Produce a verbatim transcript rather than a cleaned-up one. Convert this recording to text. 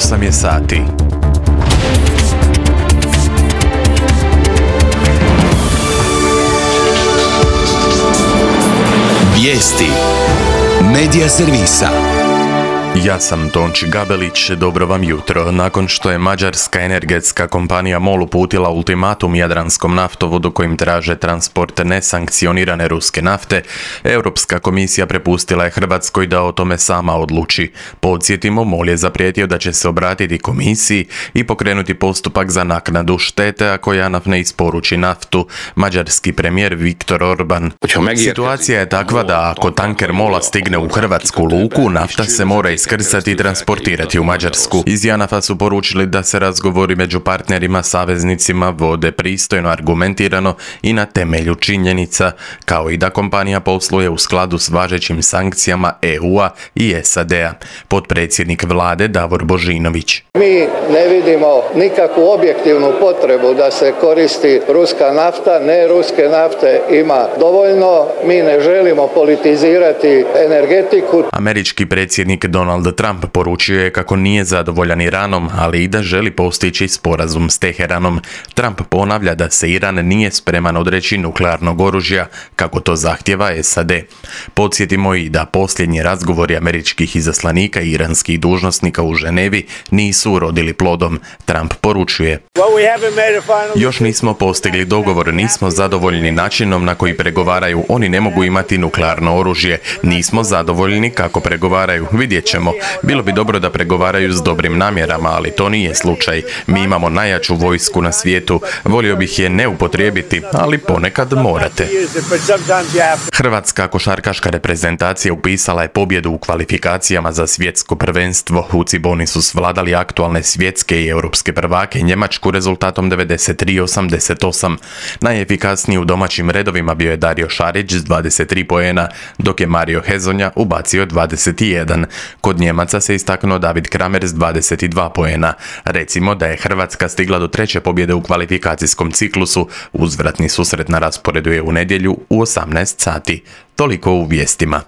osam je sati. Vijesti Medija servisa. Ja sam Tonči Gabelić, dobro vam jutro. Nakon što je mađarska energetska kompanija MOL uputila ultimatum Jadranskom naftovodu kojim traže transport nesankcionirane ruske nafte, Europska komisija prepustila je Hrvatskoj da o tome sama odluči. Podsjetimo, MOL je zaprijetio da će se obratiti komisiji i pokrenuti postupak za naknadu štete ako JANAF ne isporuči naftu. Mađarski premijer Viktor Orban. Situacija je takva da ako tanker MOL-a stigne u hrvatsku luku, nafta se mora iskrcati i transportirati u Mađarsku. Iz JANAF-a su poručili da se razgovori među partnerima, saveznicima vode pristojno, argumentirano i na temelju činjenica, kao i da kompanija posluje u skladu s važećim sankcijama E U-a i S A D-a. Potpredsjednik vlade Davor Božinović. Mi ne vidimo nikakvu objektivnu potrebu da se koristi ruska nafta, ne ruske nafte ima dovoljno, mi ne želimo politizirati energetiku. Američki predsjednik Donald Trump poručio je kako nije zadovoljan Iranom, ali i da želi postići sporazum s Teheranom. Trump ponavlja da se Iran nije spreman odreći nuklearnog oružja, kako to zahtjeva S A D. Podsjetimo i da posljednji razgovori američkih izaslanika i iranskih dužnosnika u Ženevi nisu urodili plodom. Trump poručuje: još nismo postigli dogovor, nismo zadovoljni načinom na koji pregovaraju, oni ne mogu imati nuklearno oružje, nismo zadovoljni kako pregovaraju, vidjet ćemo. Bilo bi dobro da pregovaraju s dobrim namjerama, ali to nije slučaj. Mi imamo najjaču vojsku na svijetu, volio bih je ne upotrijebiti, ali ponekad morate. Hrvatska košarkaška reprezentacija upisala je pobjedu u kvalifikacijama za svjetsko prvenstvo. U Ciboni su svladali aktualne svjetske i europske prvake Njemačku rezultatom devedeset tri osamdeset osam. Najefikasniji u domaćim redovima bio je Dario Šarić s dvadeset tri poena, dok je Mario Hezonja ubacio dvadeset jedan. Kod Njemaca se istaknuo David Kramer s dvadeset dva poena. Recimo da je Hrvatska stigla do treće pobjede u kvalifikacijskom ciklusu. Uzvratni susret na rasporedu je u nedjelju u osamnaest sati. Toliko u vijestima.